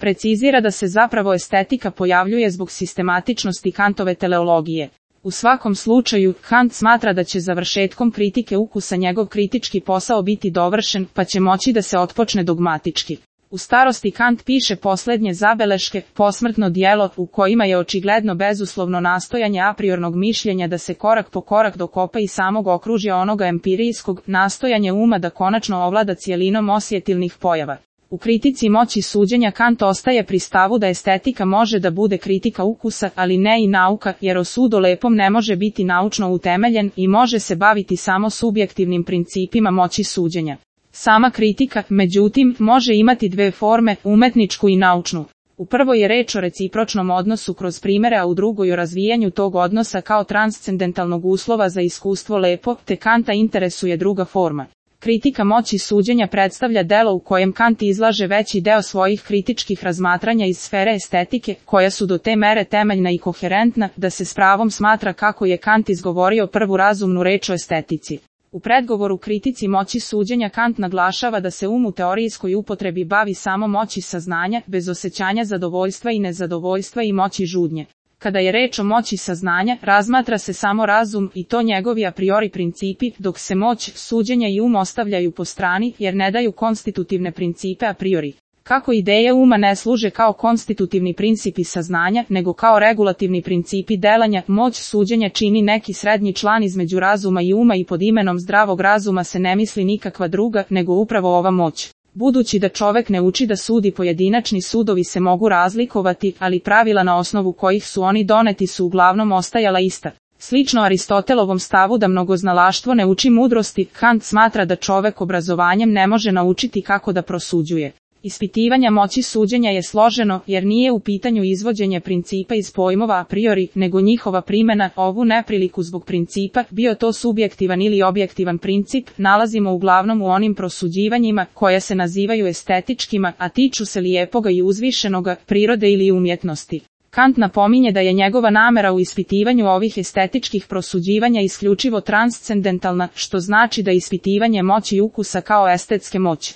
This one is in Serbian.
Precizira da se zapravo estetika pojavljuje zbog sistematičnosti Kantove teleologije. U svakom slučaju, Kant smatra da će završetkom kritike ukusa njegov kritički posao biti dovršen, pa će moći da se otpočne dogmatički. U starosti Kant piše posljednje zabeleške, posmrtno djelo, u kojima je očigledno bezuslovno nastojanje apriornog mišljenja da se korak po korak dokopa i samog okružja onoga empirijskog, nastojanje uma da konačno ovlada cijelinom osjetilnih pojava. U kritici moći suđenja Kant ostaje pri stavu da estetika može da bude kritika ukusa, ali ne i nauka, jer o sudu lepom ne može biti naučno utemeljen i može se baviti samo subjektivnim principima moći suđenja. Sama kritika, međutim, može imati dve forme, umetničku i naučnu. U prvoj je reč o recipročnom odnosu kroz primere, a u drugoj o razvijanju tog odnosa kao transcendentalnog uslova za iskustvo lepo, te Kanta interesuje druga forma. Kritika moći suđenja predstavlja delo u kojem Kant izlaže veći deo svojih kritičkih razmatranja iz sfere estetike, koja su do te mere temeljna i koherentna, da se s pravom smatra kako je Kant izgovorio prvu razumnu reč o estetici. U predgovoru kritici moći suđenja Kant naglašava da se u teorijskoj upotrebi bavi samo moći saznanja, bez osjećanja zadovoljstva i nezadovoljstva i moći žudnje. Kada je reč o moći saznanja, razmatra se samo razum i to njegovi a priori principi, dok se moć, suđenja i ostavljaju po strani, jer ne daju konstitutivne principe a priori. Kako ideje uma ne služe kao konstitutivni principi saznanja, nego kao regulativni principi delanja, moć suđenja čini neki srednji član između razuma i uma i pod imenom zdravog razuma se ne misli nikakva druga, nego upravo ova moć. Budući da čovek ne uči da sudi, pojedinačni sudovi se mogu razlikovati, ali pravila na osnovu kojih su oni doneti su uglavnom ostajala ista. Slično Aristotelovom stavu da mnogoznalaštvo ne uči mudrosti, Kant smatra da čovek obrazovanjem ne može naučiti kako da prosuđuje. Ispitivanje moći suđenja je složeno, jer nije u pitanju izvođenje principa iz pojmova a priori, nego njihova primjena. Ovu nepriliku zbog principa, bio to subjektivan ili objektivan princip, nalazimo uglavnom u onim prosuđivanjima, koja se nazivaju estetičkima, a tiču se lijepoga i uzvišenoga, prirode ili umjetnosti. Kant napominje da je njegova namera u ispitivanju ovih estetičkih prosuđivanja isključivo transcendentalna, što znači da ispitivanje moći ukusa kao estetske moći